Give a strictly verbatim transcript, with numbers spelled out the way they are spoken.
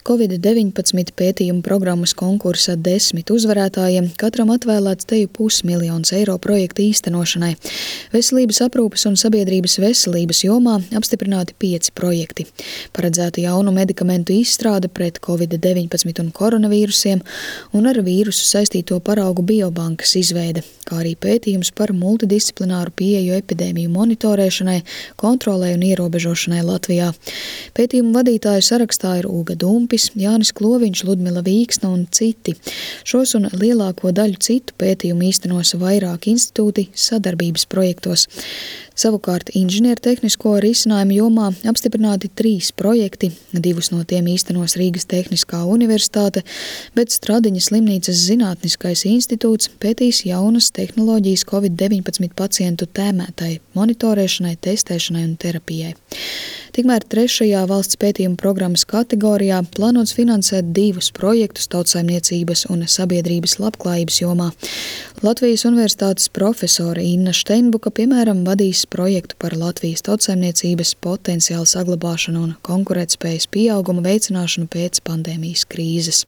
Covid deviņpadsmit pētījumu programmas konkursa desmit uzvarētājiem katram atvēlēts teju pusmiljons eiro projekta īstenošanai. Veselības aprūpes un sabiedrības veselības jomā apstiprināti pieci projekti. Paredzēta jaunu medikamentu izstrāde pret Covid deviņpadsmit un koronavīrusiem un ar vīrusu saistīto paraugu biobankas izveide, kā arī pētījums par multidisciplināru pieeju epidēmiju monitorēšanai, kontrolei un ierobežošanai Latvijā. Pētījumu vadītāju sarakstā ir Uga Dumpis, Jānis Kloviņš, Ludmila Vīksna un citi. Šos un lielāko daļu citu pētījumu īstenos vairāki institūti sadarbības projektos. Savukārt inženiertehnisko risinājumu jomā apstiprināti trīs projekti, divus no tiem īstenos Rīgas Tehniskā universitāte, bet Stradiņas slimnīcas zinātniskais institūts pētīs jaunas tehnoloģijas Covid deviņpadsmit pacientu tēmētai monitorēšanai, testēšanai un terapijai. Tikmēr trešajā valsts pētījuma programmas kategorijā plānots finansēt divus projektus tautsaimniecības un sabiedrības labklājības jomā. Latvijas universitātes profesore Inna Steinbuka, piemēram, vadīs projektu par Latvijas tautsaimniecības potenciālu saglabāšanu un konkurētspējas pieauguma veicināšanu pēc pandēmijas krīzes.